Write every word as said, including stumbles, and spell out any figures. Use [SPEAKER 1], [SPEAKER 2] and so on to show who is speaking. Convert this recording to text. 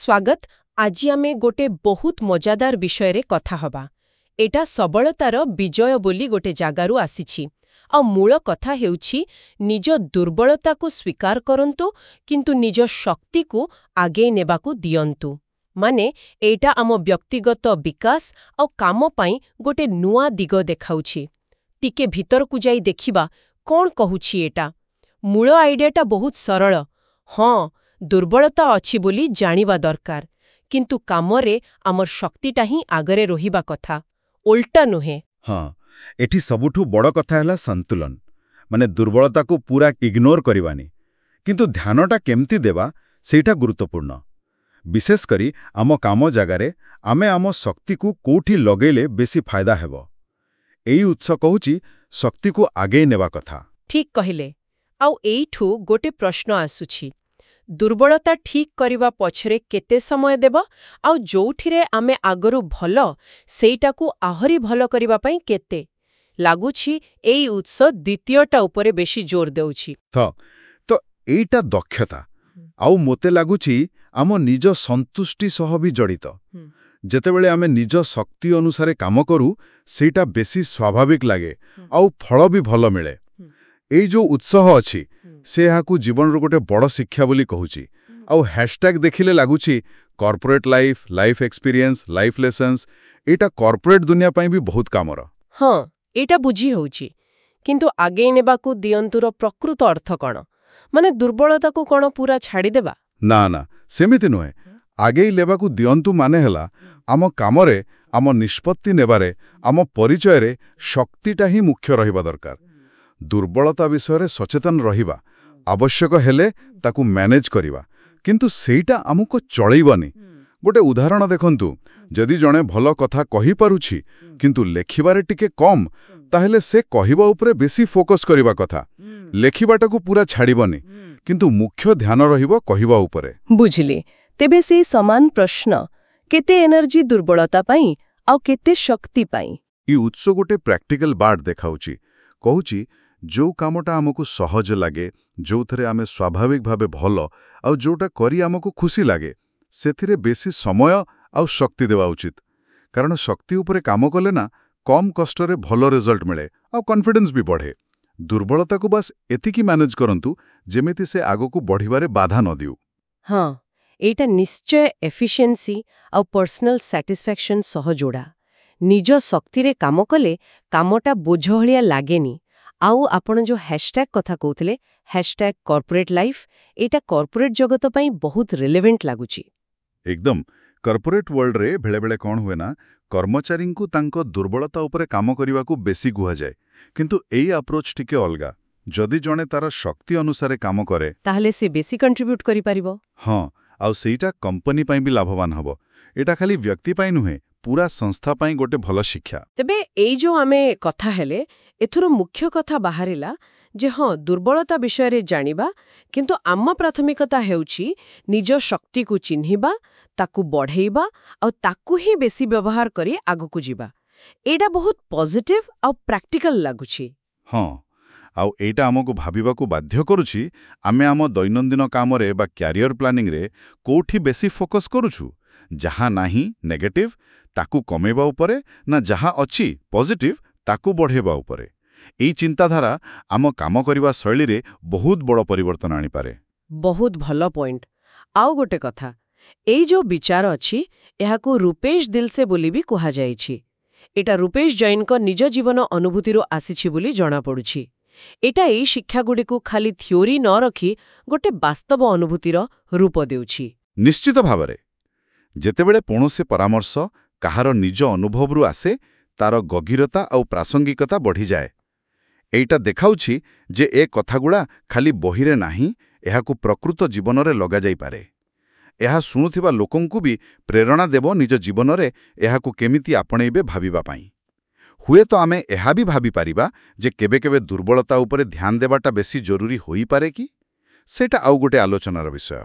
[SPEAKER 1] ସ୍ୱାଗତ। ଆଜି ଆମେ ଗୋଟେ ବହୁତ ମଜାଦାର ବିଷୟରେ କଥା ହବା। ଏଇଟା ସବଳତାର ବିଜୟ ବୋଲି ଗୋଟେ ଜାଗାରୁ ଆସିଛି। ଆଉ ମୂଳ କଥା ହେଉଛି, ନିଜ ଦୁର୍ବଳତାକୁ ସ୍ୱୀକାର କରନ୍ତୁ, କିନ୍ତୁ ନିଜ ଶକ୍ତିକୁ ଆଗେଇ ନେବାକୁ ଦିଅନ୍ତୁ। ମାନେ ଏଇଟା ଆମ ବ୍ୟକ୍ତିଗତ ବିକାଶ ଆଉ କାମ ପାଇଁ ଗୋଟେ ନୂଆ ଦିଗ ଦେଖାଉଛି। ଟିକେ ଭିତରକୁ ଯାଇ ଦେଖିବା କ'ଣ କହୁଛି ଏଇଟା। ମୂଳ ଆଇଡିଆଟା ବହୁତ ସରଳ। ହଁ, ଦୁର୍ବଳତା ଅଛି ବୋଲି ଜାଣିବା ଦରକାର, କିନ୍ତୁ କାମରେ ଆମର ଶକ୍ତିଟା ହିଁ ଆଗରେ ରହିବା କଥା, ଓଲଟା ନୁହେଁ।
[SPEAKER 2] ହଁ, ଏଠି ସବୁଠୁ ବଡ଼ କଥା ହେଲା ସନ୍ତୁଳନ। ମାନେ ଦୁର୍ବଳତାକୁ ପୁରା ଇଗ୍ନୋର କରିବାନି, କିନ୍ତୁ ଧ୍ୟାନଟା କେମିତି ଦେବା, ସେଇଟା ଗୁରୁତ୍ୱପୂର୍ଣ୍ଣ। ବିଶେଷ କରି ଆମ କାମ ଜାଗାରେ ଆମେ ଆମ ଶକ୍ତିକୁ କୋଉଠି ଲଗେଇଲେ ବେଶୀ ଫାଇଦା ହେବ। ଏଇ ଉତ୍ସ କହୁଛି ଶକ୍ତିକୁ ଆଗେଇ ନେବା କଥା।
[SPEAKER 1] ଠିକ୍ କହିଲେ। ଆଉ ଏଇଠୁ ଗୋଟେ ପ୍ରଶ୍ନ ଆସୁଛି, ଦୁର୍ବଳତା ଠିକ୍ କରିବା ପଛରେ କେତେ ସମୟ ଦେବ ଆଉ ଯୋଉଥିରେ ଆମେ ଆଗରୁ ଭଲ, ସେଇଟାକୁ ଆହୁରି ଭଲ କରିବା ପାଇଁ କେତେ? ଲାଗୁଛି ଏଇ ଉତ୍ସ ଦ୍ୱିତୀୟଟା ଉପରେ ବେଶୀ ଜୋର ଦେଉଛି।
[SPEAKER 2] ତ ତ ଏଇଟା ଦକ୍ଷତା ଆଉ ମୋତେ ଲାଗୁଛି ଆମ ନିଜ ସନ୍ତୁଷ୍ଟି ସହ ବି ଜଡ଼ିତ। ଯେତେବେଳେ ଆମେ ନିଜ ଶକ୍ତି ଅନୁସାରେ କାମ କରୁ, ସେଇଟା ବେଶୀ ସ୍ୱାଭାବିକ ଲାଗେ ଆଉ ଫଳ ବି ଭଲ ମିଳେ। ଏଇ ଯୋଉ ଉତ୍ସ ଅଛି, ସେ ଏହାକୁ ଜୀବନର ଗୋଟେ ବଡ଼ ଶିକ୍ଷା ବୋଲି କହୁଛି। ଆଉ ହ୍ୟାଶଟ୍ୟାଗ ଦେଖିଲେ ଲାଗୁଛି corporate life, life experience, life lessons. ଏଇଟା କର୍ପୋରେଟ୍ ଦୁନିଆ ପାଇଁ ବି ବହୁତ କାମର।
[SPEAKER 1] ହଁ, ଏଇଟା ବୁଝି ହେଉଛି। କିନ୍ତୁ ଆଗେଇ ନେବାକୁ ଦିଅନ୍ତୁର ପ୍ରକୃତ ଅର୍ଥ କ'ଣ? ମାନେ ଦୁର୍ବଳତାକୁ କ'ଣ ପୁରା ଛାଡ଼ିଦେବା?
[SPEAKER 2] ନା ନା, ସେମିତି ନୁହେଁ। ଆଗେଇ ନେବାକୁ ଦିଅନ୍ତୁ ମାନେ ହେଲା ଆମ କାମରେ, ଆମ ନିଷ୍ପତ୍ତି ନେବାରେ, ଆମ ପରିଚୟରେ ଶକ୍ତିଟା ହିଁ ମୁଖ୍ୟ ରହିବା ଦରକାର। ଦୁର୍ବଳତା ବିଷୟରେ ସଚେତନ ରହିବା, ଆବଶ୍ୟକ ହେଲେ ତାକୁ ମ୍ୟାନେଜ୍ କରିବା, କିନ୍ତୁ ସେଇଟା ଆମକୁ ଚଳେଇବନି। ଗୋଟେ ଉଦାହରଣ ଦେଖନ୍ତୁ। ଯଦି ଜଣେ ଭଲ କଥା କହିପାରୁଛି କିନ୍ତୁ ଲେଖିବାରେ ଟିକେ କମ୍, ତାହେଲେ ସେ କହିବା ଉପରେ ବେଶୀ ଫୋକସ୍ କରିବା କଥା। ଲେଖିବାଟାକୁ ପୁରା ଛାଡ଼ିବନି, କିନ୍ତୁ ମୁଖ୍ୟ ଧ୍ୟାନ ରହିବ କହିବା ଉପରେ।
[SPEAKER 1] ବୁଝିଲି। ତେବେ ସେଇ ସମାନ ପ୍ରଶ୍ନ, କେତେ ଏନର୍ଜି ଦୁର୍ବଳତା ପାଇଁ ଆଉ କେତେ ଶକ୍ତି ପାଇଁ?
[SPEAKER 2] ଏ ଉତ୍ସ ଗୋଟେ ପ୍ରାକ୍ଟିକାଲ ବାଟ ଦେଖାଉଛି। କହୁଛି, ଯୋଉ କାମଟା ଆମକୁ ସହଜ ଲାଗେ, ଯୋଉଥିରେ ଆମେ ସ୍ୱାଭାବିକ ଭାବେ ଭଲ ଆଉ ଯୋଉଟା କରି ଆମକୁ ଖୁସି ଲାଗେ, ସେଥିରେ ବେଶୀ ସମୟ ଆଉ ଶକ୍ତି ଦେବା ଉଚିତ। କାରଣ ଶକ୍ତି ଉପରେ କାମ କଲେ ନା କମ୍ କଷ୍ଟରେ ଭଲ ରେଜଲ୍ଟ ମିଳେ ଆଉ କନଫିଡେନ୍ସ ବି ବଢ଼େ। ଦୁର୍ବଳତାକୁ ବାସ୍ ଏତିକି ମ୍ୟାନେଜ୍ କରନ୍ତୁ ଯେମିତି ସେ ଆଗକୁ ବଢ଼ିବାରେ ବାଧା ନ ଦେଉ।
[SPEAKER 1] ହଁ, ଏଇଟା ନିଶ୍ଚୟ ଏଫିସିଏନ୍ସି ଆଉ ପର୍ସନାଲ ସାଟିସ୍ଫ୍ୟାକ୍ସନ ସହ ଯୋଡ଼ା। ନିଜ ଶକ୍ତିରେ କାମ କଲେ କାମଟା ବୋଝ ଭଳିଆ ଲାଗେନି। ଆଉ ଆପଣ ଯୋଉ ହ୍ୟାଶଟ୍ୟାଗ କଥା କହୁଥିଲେ, ହ୍ୟାଶଟ୍ୟାଗ କର୍ପୋରେଟ୍ ଲାଇଫ୍, ଏଇଟା କର୍ପୋରେଟ୍ ଜଗତ ପାଇଁ ବହୁତ ରିଲେଭେଣ୍ଟ ଲାଗୁଛି।
[SPEAKER 2] ଏକଦମ। କର୍ପୋରେଟ୍ ୱାର୍ଲଡରେ ବେଳେବେଳେ କ'ଣ ହୁଏ ନା, କର୍ମଚାରୀଙ୍କୁ ତାଙ୍କ ଦୁର୍ବଳତା ଉପରେ କାମ କରିବାକୁ ବେଶୀ କୁହାଯାଏ। କିନ୍ତୁ ଏଇ ଆପ୍ରୋଚ୍ ଟିକେ ଅଲଗା। ଯଦି ଜଣେ ତାର ଶକ୍ତି ଅନୁସାରେ କାମ କରେ,
[SPEAKER 1] ତାହେଲେ ସେ ବେଶୀ କଣ୍ଟ୍ରିବ୍ୟୁଟ୍ କରିପାରିବ।
[SPEAKER 2] ହଁ, ଆଉ ସେଇଟା କମ୍ପାନୀ ପାଇଁ ବି ଲାଭବାନ ହବ। ଏଇଟା ଖାଲି ବ୍ୟକ୍ତି ପାଇଁ ନୁହେଁ, ପୁରା ସଂସ୍ଥା ପାଇଁ ଗୋଟେ ଭଲ ଶିକ୍ଷା।
[SPEAKER 1] ତେବେ ଏଇ ଯୋଉ ଆମେ କଥା ହେଲେ, ଏଥିରୁ ମୁଖ୍ୟ କଥା ବାହାରିଲା ଯେ ହଁ, ଦୁର୍ବଳତା ବିଷୟରେ ଜାଣିବା, କିନ୍ତୁ ଆମ ପ୍ରାଥମିକତା ହେଉଛି ନିଜ ଶକ୍ତିକୁ ଚିହ୍ନିବା, ତାକୁ ବଢ଼େଇବା ଆଉ ତାକୁ ହିଁ ବେଶୀ ବ୍ୟବହାର କରି ଆଗକୁ ଯିବା। ଏଇଟା ବହୁତ ପଜିଟିଭ ଆଉ ପ୍ରାକ୍ଟିକାଲ ଲାଗୁଛି।
[SPEAKER 2] ହଁ, ଆଉ ଏଇଟା ଆମକୁ ଭାବିବାକୁ ବାଧ୍ୟ କରୁଛି, ଆମେ ଆମ ଦୈନନ୍ଦିନ କାମରେ ବା କ୍ୟାରିୟର ପ୍ଲାନିଂରେ କୋଉଠି ବେଶୀ ଫୋକସ୍ କରୁଛୁ? ଯାହା ନାହିଁ, ନେଗେଟିଭ, ତାକୁ କମେଇବା ଉପରେ ନା ଯାହା ଅଛି, ପଜିଟିଭ, ତାକୁ ବଢ଼େଇବା ଉପରେ? ଏଇ ଚିନ୍ତାଧାରା ଆମ କାମ କରିବା ଶୈଳୀରେ ବହୁତ ବଡ଼ ପରିବର୍ତ୍ତନ ଆଣିପାରେ।
[SPEAKER 1] ବହୁତ ଭଲ ପଏଣ୍ଟ। ଆଉ ଗୋଟେ କଥା, ଏଇ ଯୋଉ ବିଚାର ଅଛି, ଏହାକୁ ରୂପେଶ ଦିଲସେ ବୋଲି ବି କୁହାଯାଇଛି। ଏଇଟା ରୂପେଶ ଜୈନଙ୍କ ନିଜ ଜୀବନ ଅନୁଭୂତିରୁ ଆସିଛି ବୋଲି ଜଣାପଡୁଛି। ଏଇଟା ଏଇ ଶିକ୍ଷାଗୁଡ଼ିକୁ ଖାଲି ଥିଓରି ନ ରଖି ଗୋଟେ ବାସ୍ତବ ଅନୁଭୂତିର ରୂପ ଦେଉଛି।
[SPEAKER 2] ନିଶ୍ଚିତ ଭାବରେ। ଯେତେବେଳେ କୌଣସି ପରାମର୍ଶ କାହାର ନିଜ ଅନୁଭବରୁ ଆସେ, ତାର ଗଭୀରତା ଆଉ ପ୍ରାସଙ୍ଗିକତା ବଢ଼ିଯାଏ। ଏଇଟା ଦେଖାଉଛି ଯେ ଏ କଥାଗୁଡ଼ା ଖାଲି ବହିରେ ନାହିଁ, ଏହାକୁ ପ୍ରକୃତ ଜୀବନରେ ଲଗାଯାଇପାରେ। ଏହା ଶୁଣୁଥିବା ଲୋକଙ୍କୁ ବି ପ୍ରେରଣା ଦେବ ନିଜ ଜୀବନରେ ଏହାକୁ କେମିତି ଆପଣେଇବେ ଭାବିବା ପାଇଁ। ହୁଏତ ଆମେ ଏହା ବି ଭାବିପାରିବା ଯେ କେବେ କେବେ ଦୁର୍ବଳତା ଉପରେ ଧ୍ୟାନ ଦେବାଟା ବେଶୀ ଜରୁରୀ ହୋଇପାରେ କି? ସେଇଟା ଆଉ ଗୋଟେ ଆଲୋଚନାର ବିଷୟ।